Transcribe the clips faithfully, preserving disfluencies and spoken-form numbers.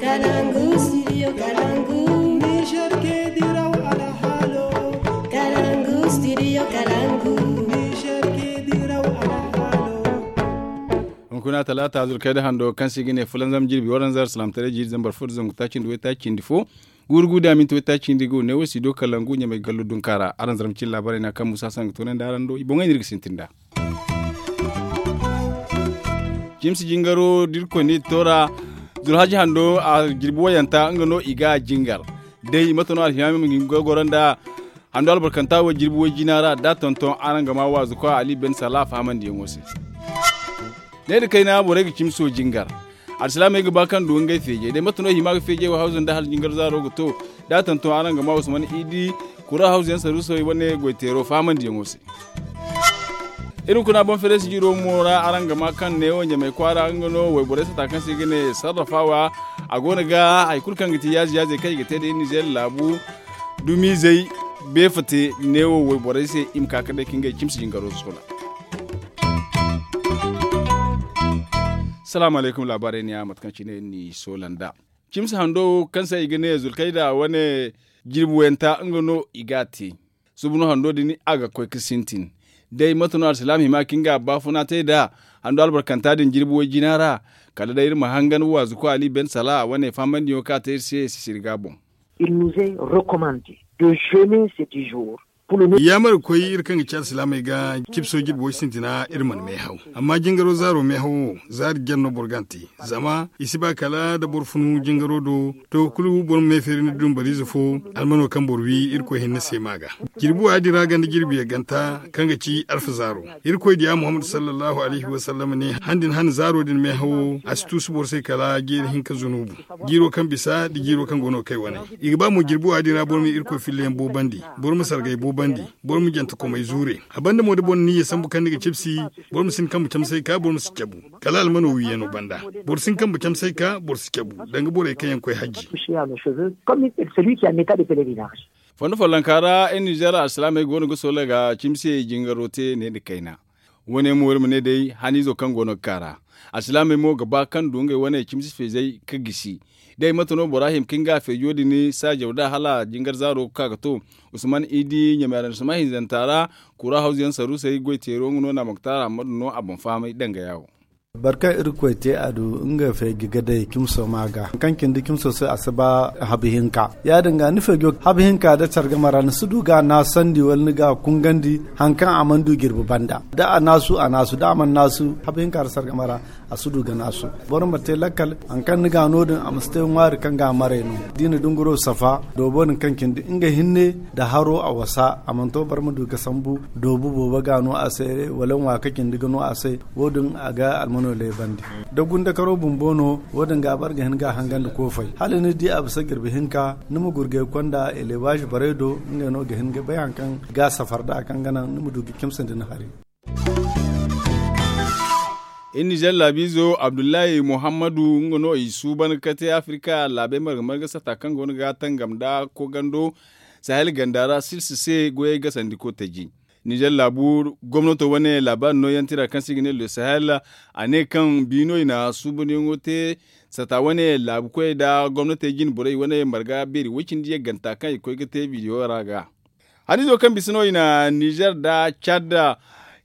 Kalangu, studio Kalangu. Niger ke diraw alhalo. Kalangu, studio Kalangu. Niger ke diraw alhalo. Hunkuna talaata, zulkayda hando, kaŋ se i ga ne fulanzam jirbi waranzar, salaamtaray jiiri zambar fo da zangu taaci nda waytaaci cindi fo. Guuru gu da minti waytaaci cindi go ne wo si do Kalangu ɲamay gallo dunka ra. Araŋ zarma cine laabaarey no kaŋ musa sangu toonandi araŋ do i boŋey no iri ga sintin nd'a. Cimsi jingaro da irkoy ne toora, zulhaji hando a jirbi wayanta nga no i ga jingar. Day mate no alhiyami ma ga goro nda hando albarkanta wo jirbi way jina ra da tonton araŋ ga ma waazu koy ali ben sala fahamandiyaŋo se. Ne da kayna borey ga cimso jingar. Alsilaamey ga ba kaŋ du ngey feejey day mate no hima ga feejey wo hawzu nda hala jingar zaaro ga to. Da tonton araŋ ga ma usman idi kura hawzu yaŋ saruusey wane goyteero fahamandiyaŋo se. Iri kuna boŋ fereesi jiro mo ra araŋ ga ma kaŋ neewo ɲamay kwaara nga no wayborey sata kaŋ se i ga ne sarrafawa. A go no ga hari kulu kaŋ ga ti yaaze yaaze kaŋ i ga te nda iri nizeer laabu dumizey beefate neewo wayborey se i ma ka ga day ka ngey cimsi jingaro soola. Salaamu alaykum laabaarey ne ya mate kaŋ cine iri n'i soola nd'a. Cimsi hando kaŋ se i ga ne zulkayda wane jirbi wayanta nga no i ga a te. Suba no hando din a ga koy ga sintin. Day mate no alsilaam hima kaŋ nga baafuna te nd'a hando albarkanta din jirbi way jina ra. Kala day iri ma hangan waazu koy ali ben sala wane fahamandiyaŋo kaŋ a te iri se sisiri ga boŋ. Il nous est recommandé de jeûner ces dix jours. Yaamar ga koy iri kaŋ ga ci alsilaamey ga cipso jirbi way sintina iri mana meehaw. Amma jingaro zaaro meehawo zaari jare no boro ga a te. Zama i si ba kala da boro funu jingaro do to kulu boro ma meefeeri ni dumbariize fo. Almano kaŋ boro wi irkoy hinne se ma ga jirbi waadi ra ganda jirbi yagganta kaŋ ga ci alfa zaaro. Irkoy diya muhammadu sallallahu alayhi wasallam ne han din han zaaro din meehawo a si tuusu boro se kala jeeri hinka zunubu. Jiiro kaŋ bisa nda jiiro kaŋ go no ga kay wane. I ga ba mo jirbi waadi ra boro ma irkoy filla yaŋ boobandi. Boro ma sargay boobandi. Boro ma jante komay zuure. A banda mo da boro na niyya sambu kaŋ ni ga cipsi. Boro ma si ni kambe camsay ka boro ma si cabu. Kala almano wiiyano banda. Boro si ni kambe camsay ka boro si cabu danga borey kaŋ yaŋ koy hajji. Fondo follonka ra iri nizeer alsilaamey go no ga soola ga cimse jingaro te ne nda kayna. Wane mo iri ma ne day haniizo kaŋ go no ga ka ra. Alsilaamey mo ga ba kaŋ du ngey wane cimsi feezey ga gisi. Day mate no bora hima kaŋ ga feejo din saajaw da hala jingar zaaro ga ka ga to. Usman idi ɲamay ra ni suma hinzanta ra. Kura hawzu yaŋ saruusey goy teero nga no na moktaara ammadu no a boŋ fahamay danga yaawo. Boro kaŋ irkoy te a du nga feeji ga day cimso ma ga kaŋ cindi cimso se a si ba habu hinka. Ya- din ga ni feejo habu hinka da care game ra ni si du ga a naasandi wala ni ga a kungandi. Hari kaŋ a mana du jirbi banda da a naasu a naasu da a mana naasu habu hinka da care game ra. A si du ga naasu. Boro ma te lakkal hari kaŋ ni ga no- din a ma si te ŋwaari kaŋ ga a maray no. Da i na dunguro safa doobo din kaŋ cindi nga hinne nda haro a wasa a mana to boro ma du ga sambu doobu boobo ga no a se wala ŋwa ka cindi ga no a se. Wo- din a ga almano leebandi da gundakaro bumbo no. Wo- din ga boro ga hin ga a hangandi koofay hala ni di a bisa jirbi hinka ni ma gurgay konda eleebaazi borey do. Ngey no ga hin ga bay hari kaŋ ga safar nd'a kaŋ ga naŋ ni ma du ga cimsandi ni hari. Iri nizeer laabiizo abdullahi muhammadu nga no i suuban ga kate afirka laabey marga marga sata kaŋ go no ga tangam nda kogando sahel ganda ra silsi se goyey gasandiko taji. Nizeer laabu gomnato wane laabaari nooyaŋ tira kaŋ se i ga ne le sahel a ne kaŋ biino i na suubanyaŋo te sata wane laabu koyey nda gomnatey jine borey wane marga beeri woy cindi yagganta kaŋ i ga koy ga te bidiyo ra ga. Haniizo kaŋ bisa no i na nizer nda cad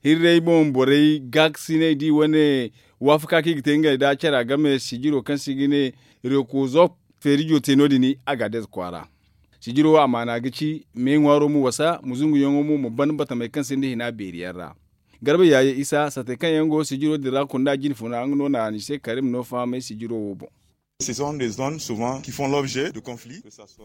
hirray boŋ borey gaakasinay di wane waafaka kaŋ i ga te ngey nda care a game sijiro kaŋ se i ga ne rekozop feerijo te no- din. Agadez kwaara sijiro amaana ga ci me ŋwaaro ma wasa ma zunguyaŋo mo ma ban batamey kaŋ sinda hina beeri yaŋ ra. Garba yaaye isa satey kaŋ yaŋ go sijiro din ra kunda jine funa nga no na ni se karim no fahamay sijiro wo boŋ.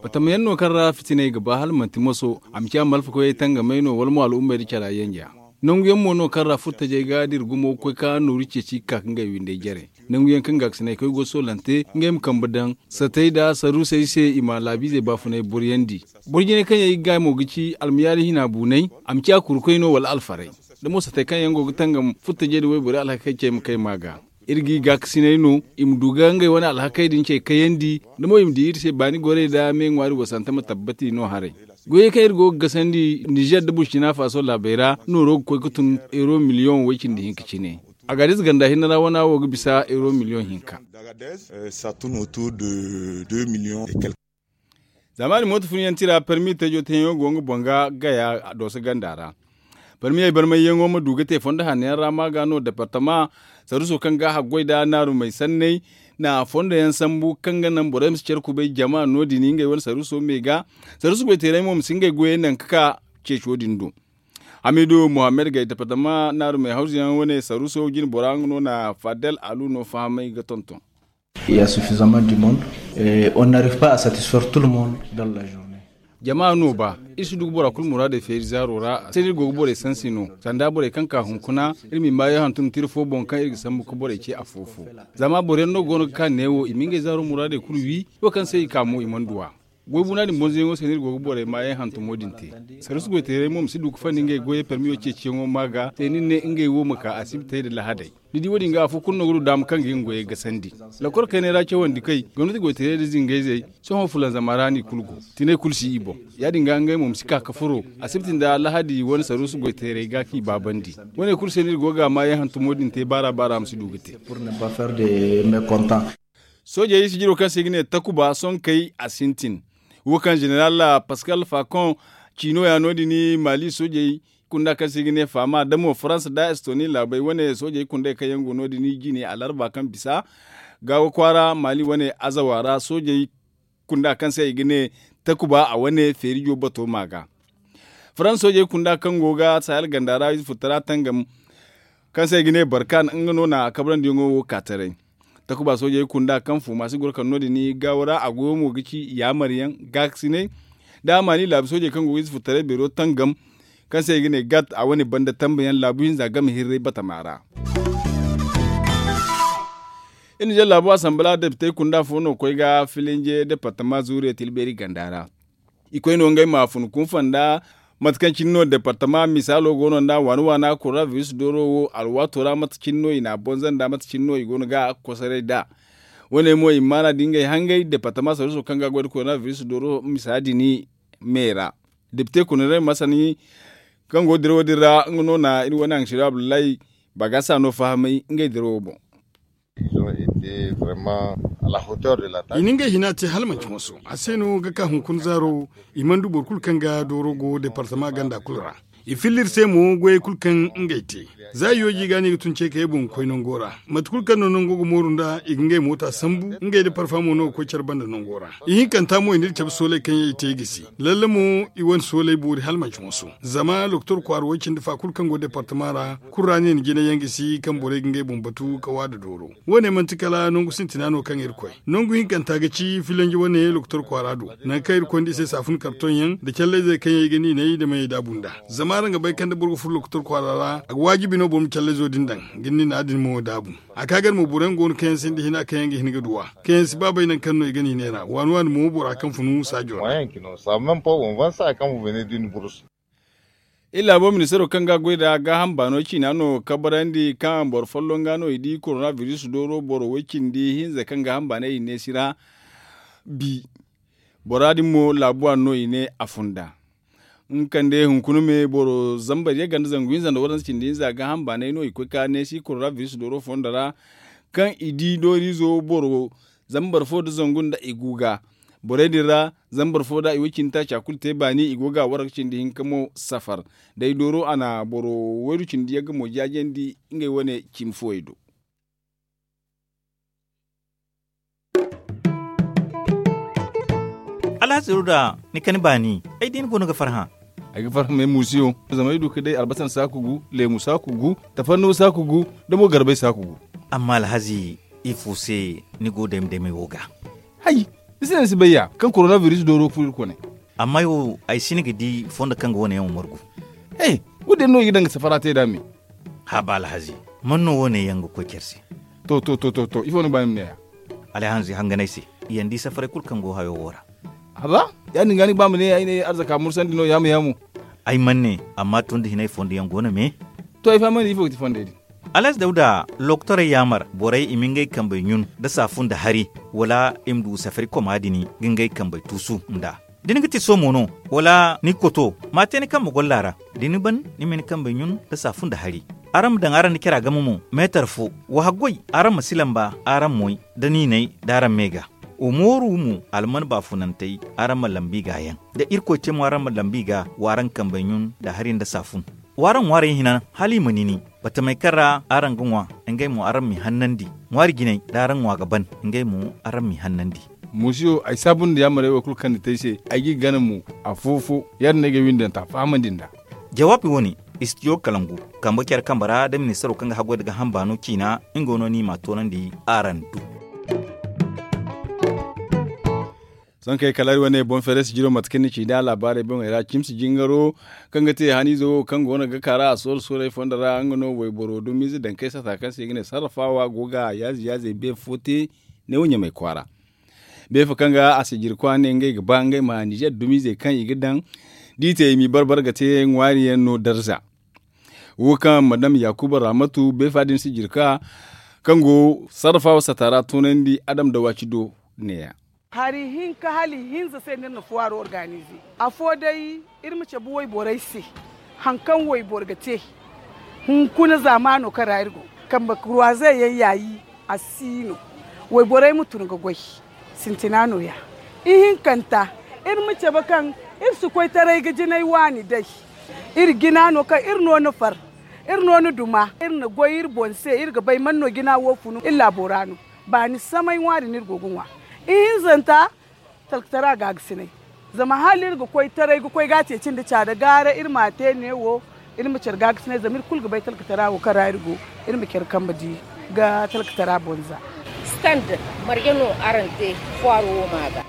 Batamayaŋ no kaŋ ra fitinay ga ba hala manti moso a ma ciya malfakoyey tangamay no wala mo al'ummey da cara yanja. Nanguyaŋ mo no kaŋ ra furtajey ga dira gumo ga koy ka nooru ceeci ga ka ka ngey windey jare. Nanguyaŋ kaŋ gaakasinay koy go soolante ngey ma kambe daŋ satey nda saruusey se i ma laabiizey baafunay boryandi. Boro jinay kaŋ yaŋ i ga gaay mo ga ci almayaali hina buunay a ma ciya kurukoy no wala alfaray. Da mo satey kaŋ yaŋ go ga tangam furtajey nda wayborey alhakey cey ma kay ma ga. Iri g'i gaakasinay no i ma du ga ngey wane alhakey din cey kayandi. Da mo i ma di iri se baani gorey nda me ŋwaari wasante ma tabbati no haray. Goyey kaŋ iri go ga gasandi nizer nda burcina faso laabey ra nooro ga koy ga tun euro miliyoŋ way-cindi hinka cine. Agaadiz ganda hinne ra wana wo ga bisa euro miliyoŋ hinka. Zamaani mooto funyaŋ tira permi teejo teeyaŋo go nga boŋ ga gaya dooso ganda ra. Permiyey barmayyaŋo ma du ga te fondo hanno yaŋ ra ma ga no departama saruso kaŋ ga haggoy nda naarumey sanney na fondo yaŋ sambu kaŋ ga naŋ borey ma si care kubay jama no- din ngey wane saruso me ga. Saruso goyteerey mo ma si ngey goyey naŋ ga ka ceeco din do. Hamidu muhammad gay departama naarumey hawzu yaŋ wane saruso jine bora nga no na fadel alu no fahamay ga tonton. Il y a suffisamment du monde. Et on n'arrive pas à satisfaire tout le monde dans la journée. Jama no ba iri si du ga bora kulu muraadey feeri zaaro ra se no iri go ga borey sansi no sanda borey kaŋ ka hunkuna. Iri ma i maayo hantum tira fo boŋ kaŋ iri ga sambu ga borey ce afo-fo. Zama boro yaŋ no go no ga ka neewo i ma ngey zaaro muraadey kulu wi. Wo kaŋ se i ka mo i mana du a. Goy buna din bonzoyaŋo se no iri go ga borey maayaŋ hantumo din te. Sarusu goyteerey mo ma si du ga fandi ngey goyey permiyo ceeciyaŋo ma ga se nin ne ngey wo ma ka asibitey nda lahadey. Ni di wo- din ga afo kulu no ga du daama kaŋ ga nga goyey gasandi. Lokor kayney ra cawandi kay gomnati goyteerey nda zingayzey. Sohõ fulanzama ra no i kulu go. Tinay kulu si i boŋ. Ya- din ga ngey mo ma si ka ga furo asibiti nda lahadi wane sarusu goyteerey ga kaŋ i baabandi. Wane kulu se no iri go ga maayaŋ hantumo din te baara baara ma si du ga te. Soojey sijiro kaŋ se i ga ne takuba sonkey a sintin. Wo kaŋ zeneral paskal fakon ciino ya no- din maali soojey kunda kaŋ se i ga ne faama damo farans nda estoni laabey wane soojey kundey kaŋ yaŋ go no- din jine alarba kaŋ bisa gaawo kwaara maali wane azawa ra soojey kunda kaŋ se i ga ne takuba a wane feerijo bato ma ga. Farans soojey kunda kaŋ go ga sahel ganda ra ize furtara tangam kaŋ se i ga ne barkan nga no na kabrandiyaŋo wo ka taray. Takuba soojey kunda kaŋ fuuma si goro kaŋ no- din gaawo ra a goyo mo ga ci yaamaryaŋ gaakasinay. Da a maani laabu soojey kaŋ go ga ize furtaray beero tangam kaŋ se i ga ne gat a wane banda tambayaŋ laabu hinza game hirray batama ra. Iri na jaŋ laabu asanbala depitey kunda fo no koy ga filinje departama zuuriya tilbeeri ganda ra. I koy no ngey ma fun kunfa nda mate kaŋ cine no departama misaalo go no nda waana waana koronabiris dooro wo alwaato ra mate cine no i n'a bonza nda mate cine no i go no ga kosoray nd'a. Wo- ne mo i maana da ngey hangey departama saruso kaŋ ga goy nda koronabiris dooro misa din me ra. Depite kunirey masani kaŋ go ga dirawo din ra nga no na iri wane haŋ siro abdullahi bagasa no fahamay ngey dirawo boŋ. I na ngey hina te hala manci moso a se no ga ka hunkuna zaaro. I mana du boro kulu kaŋ ga dooro go departama ganda kulu ra. I filla iri se mo goyey kulu kaŋ ngey te za i yooji i ga no i ga tun ce kayey boŋ ga koy nango ra. Mate kulu kaŋ no nango ga mooru nd'a i ga ngey moota sambu ngey nda parfa mo no ga koy care banda nango ra. Ihinkanta mo i n'iri cabe sooley kaŋ yaŋ i te i gisi. Lalle mo i wane sooley boori hala manci moso. Zama lokotor kwaara way cindi fa kulu kaŋ go departama ra kulu ra no i na jinay yaŋ gisi kaŋ borey ga ngey boŋ batu ga waada dooro. Wo- ne manti kala nangu sintina no kaŋ iri koy. Nangu hinkanta ga ci filanji wane lokotor kwaara do, nangu kaŋ iri koy nda i se saafun kartoŋ yaŋ nda callayzey kaŋ yaŋ i ga niinay nda mayey daabu nd'a. Zama araŋ ga bay kaŋ da boro ga furo lokotor kwaara ra a ga waajibi no boro ma callayzo din daŋ ga niina din mo daabu. A ka ga iri mo boro yaŋ go no kaŋ yaŋ sinda hina kaŋ yaŋ ga hin ga du a, kaŋ yaŋ si ba bay nangu kaŋ no i ga niinay ra waani waani mo bora kaŋ funu saajo ra. Iri laabo ministaro kaŋ ga goy nda gaaham baano ciina no kabarandi kaŋ boro folloŋ ga no i di koronabiris dooro boro way-cindi hinza kaŋ gaaham baanay i ne si ra. Bi bora din mo laabu waani no i ne a funda. Nga kande hunkuna me boro zambar yagga nda zangu hinza nda waranza cindi hinza gaaham baanay no i koy ka neesi koronabiris dooro fondo ra. Kaŋ i di dooriizo boro zambar fo nda zangu nda i gu ga. Borey din ra zambar fo da i way-cindi taaca kulu te baani i go ga waraka cindi hinka mo safar. Day dooro a na boro wayru cindi yagga mo jaajandi ngey wane cimi fooyey do. Alhazi ruda ni kani baani ay di ni go no ga farhã. Ay ga farhã me muusiyo zama ay du ka day albasan saaku gu, leemu saaku gu, tafannuwa saaku gu, da mo garbay saaku gu. Amma alhazi ifo se ni go dayma daymay wo ga? Hay, ni si ne ni si bay ya kaŋ koronabiris dooro furo iri kone. Amma ay wo ay si ni ga di fondo kaŋ ga wane yaŋ wo margu. He, wo- din no i ga daŋ ga safara te nd'a me. Haba alhazi, man no wane yaŋ ga koy care se? To to to to to ifo ni ga ba ni ma ne ya? Alhazi hanganay se, i yaŋ di safaray kulu kaŋ go hayo wo ra. Haba, ya- din ga ni ga ba ma ne ay ne arzaka mursandi no yaamu yaamu. Ay man ne, amma tun da hinay fondo yaŋ go no me. To ay fahamandi ifo ga ti fondey din? Alhazi dawda lokotorey yaamar borey i ma ngey kambey ɲun nda saafu nda hari, wala i ma du safari koma din ga ngey kambey tuusu nd'a. Da ni ga ti somo no, wala ni ga koto, ma te ni kambe golla ra. Da ni ban ni ma ni kambey ɲun nda saafu nda hari. Araŋ ma daŋ araŋ nda cara game mo meetar fo. Wa haggoy, araŋ ma si lamba araŋ moy, da niinay da araŋ me ga. Wa mooru mo alman baafunantey, araŋ ma lambi gaayaŋ. Da irkoy te mo araŋ ma lambi ga, wa araŋ kambey ɲun nda hari nda saafun. Wa araŋ ŋwaarey hinan hala i ma nini. Batamey kaŋ ra araŋ ga ŋwa, ngey mo araŋ m'i hannandi. Ŋwaari jinay da araŋ ŋwa ga ban, ngey mo araŋ m'i hannandi. Muusiyo, ay saabu nda yaamarey wo kulu kaŋ ni te ay se. Ay g'i gana mo afo-fo. Ya- din no ay ga ay windanta fahamandi nd'a. Jawaabi wo- ne, istidiyo kalangu, kambe care kambe ra da ministaro kaŋ ga haggoy nda gaaham baano ciina, nga no no i m'a toonandi araŋ do. Sohõ kay kala iri wane boŋ feeray sijiro mate kaŋ ni ci nd'a laabaarey boŋey ra cimsi jingaro, kaŋ ga te haniizo wo kaŋ go no ga kara a sooro-soorey fondo ra nga no wayboro dumiize daŋ kay sata kaŋ se i ga ne sarrafaawa go ga yaaze-yaazey beefo te. Neewo ɲamay kwaara beefo kaŋ ga a sijirkwa ne ngey ga ba ngey ma nizeer dumiizey kaŋ i ga daŋ d'i te i m'i bar-bar ga te ŋwaari yaŋ no darza. Wo kaŋ madam yaakuba raamatu beefa din sijirka kaŋ go sarrafaawa sata ra toonandi adam da waaci do. Neeya. Hari hinka hala ihinza se no iri na fuwaaro organize. Afo day, iri ma cabe wayborey se haŋ kaŋ wayboro ga te. Hunkuna zaamaano kaŋ ra iri go, kambe kurwaaze yaŋ yaayi a si no. Wayborey ma tun ga goy. Sintina nooya. Ihinkanta, iri ma cabe kaŋ iri si koytaray ga jinay waani day. Iri jina no kaŋ iri no ni far, iri no ni duma iri na goy iri boŋ se iri ga bay man no jina wo funu iri laabo ra no. Baani samay ŋwaari no iri go ga ŋwa. Ihinzanta, talkatara gaagasinay. Zama hala iri ga koy taray ga koy ga a ceeci nda caada gaara iri m'a te neewo. Iri ma care gaagasinay zama iri kulu ga bay talkatara wo kaŋ ra iri go. Iri ma care kambe di ga talkatara boŋ za. Stand marje no araŋ te fuwaaro wo ma ga?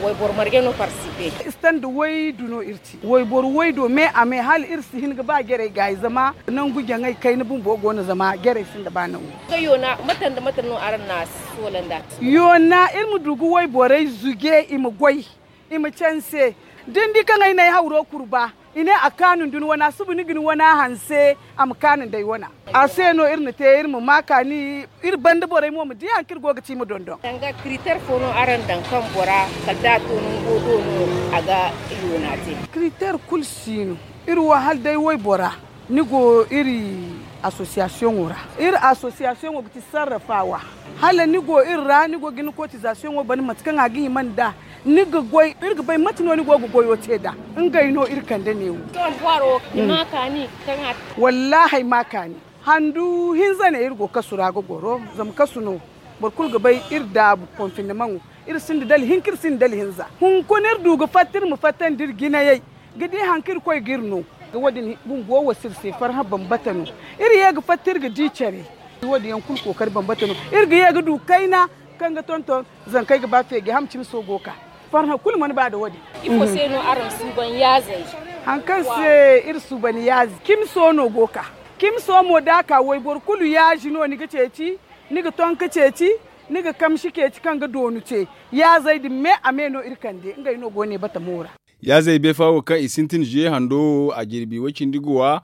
Wayboro marje no partisipe? Stand waydu no iri te. Wayboro waydo me a me hala iri si hin ga ba jarey gaayi zama nangu jaŋay kayna bumbo go no zama jarey sinda ba nangu. Nga yoona mate nda mate no araŋ na soola nd'a? Yoona iri ma du ga wayborey zuje i ma goy, i ma canse. Da ni di kaŋ ay na ay hawro kurba, i ne a kaanu nda ni wana suba ni ga ni wana hanse. A ma kaanu nda ay wana. A se no iri na te iri ma ma kaani. Iri banda borey mo ma di haŋ kaŋ iri go ga te i ma dondon. Danga kiritar fo no araŋ daŋ kaŋ bora kala da a to nango do no a ga yoona te? Kiritar kulu si no. Iri wo hala day waybora ni go iri asosiyasiyoŋo ra. Iri asosiyasiyoŋo ga ti sarrafaawa. Hala ni go iri ra ni go ga ni kotizasiyoŋo ban mate kaŋ a ga hima nd'a. Ni ga goy iri ga bay mate no ni go ga goyo te nd'a. Ngey no iri kande neewo. Sohõ boro i ma kaani kaŋ a te? Wallaahi ay ma kaani. Handu hinza ne iri go kasu ra ga goro zama kasu no. Boro kulu ga bay iri daabu konfindimaŋo. Iri sinda dala hinka iri sinda dala hinza. Hunkuna iri du ga fatta iri ma fattandi iri jinayey ga di haŋ kaŋ irkoy ga iri no. Wo- din bumbo wo si iri se farhã bambata no. Iri ye ga fatta iri ga di care. Wo- din yaŋ kulu kookari bambata no. Iri ga ye ga du kayna kaŋ ga tonton. Zankey ga ba feeji ham cimiso go ga ka. Farhã kulu mana ba nda wo- din. Ifo se no araŋ suuban yaazey? Haŋ kaŋ se iri suuban yaazi cimiso no go ga ka. Cimiso mo da a ka wayboro kulu yaazi no ni ga ceeci. Ni ga ton ga ceeci. Ni ga kamsi ceeci kaŋ ga doonu te. Yaazey din me a me no iri kande ngey no go ne batamo ra. Yaazey beefa wo kaŋ i sintin zuye hando wo a jirbi way-cindi ga wa.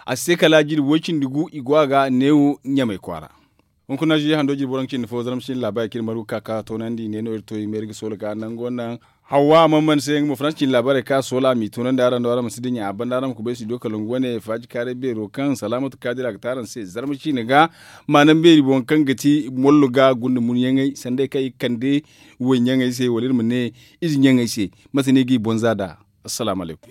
A si te kala jirbi way-cindi gu i go a ga neewo ɲamay kwaara. Hunkuna zuye hando jirbi waranka cindi fo zarma cindi laabaarey kaŋ iri margu ga ka ga toonandi ne no iri to i ma iri ga soola ga nango naŋ. Hawwa a mana mana se nga mo faransa cindi laabaarey kaŋ a soola a m'i toonandi araŋ do araŋ ma si dinya a banda araŋ ma kubay studio kalangu wane faaji kaaray beero kaŋ salaamatu kaadir a ga te araŋ se zarma ciine ga. Maanaŋ beeri boŋ kaŋ ga ti mollo ga gunda munyaŋey sanday kaŋ i ga kande wayyaŋey se wala iri ma ne ize ɲaŋey se. Mate no i g'i boŋ za nd'a? Assalaamu alaykum.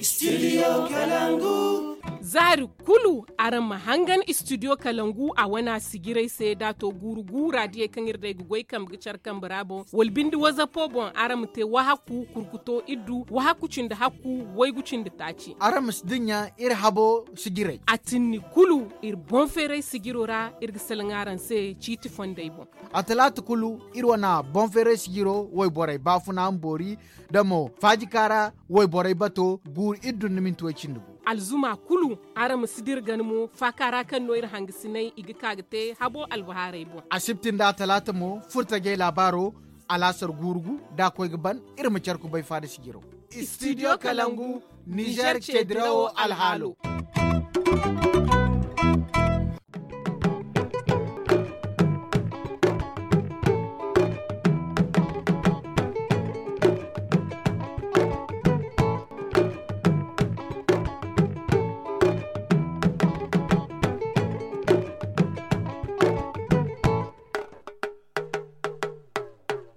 Zaari kulu araŋ ma hangan istidiyo kalangu a wane a sijirey se da a to guuru guura diyey kaŋ iri day ga goy kambe ga care kambe ra boŋ wala binde wazapo boŋ araŋ ma te wahakku kurkuto iddu wahakku cindi hakku waygu cindi taaci. Araŋ ma si dinya iri habo sijirey. A tinni kulu iri boŋ feeray sijiro ra iri ga salaŋ araŋ se ciiti fondey boŋ. A talaata kulu iri wane boŋ feeray sijiro wayborey baafuna ma boori da mo faajika ra wayborey bato guuru iddu nda minti way cindi gu. Alzuma kulu araŋ ma si dira gana mo faaka ra kaŋ no iri hangasiney i ga ka ga te habo albahaarey boŋ. Asibti nda atalaata mo furtajey laabaaro alaasar guuru gu da a koy ga ban. Iri ma care kubay faada sijiro. Istidiyo kalangu nizer ceedirawo alhaalo.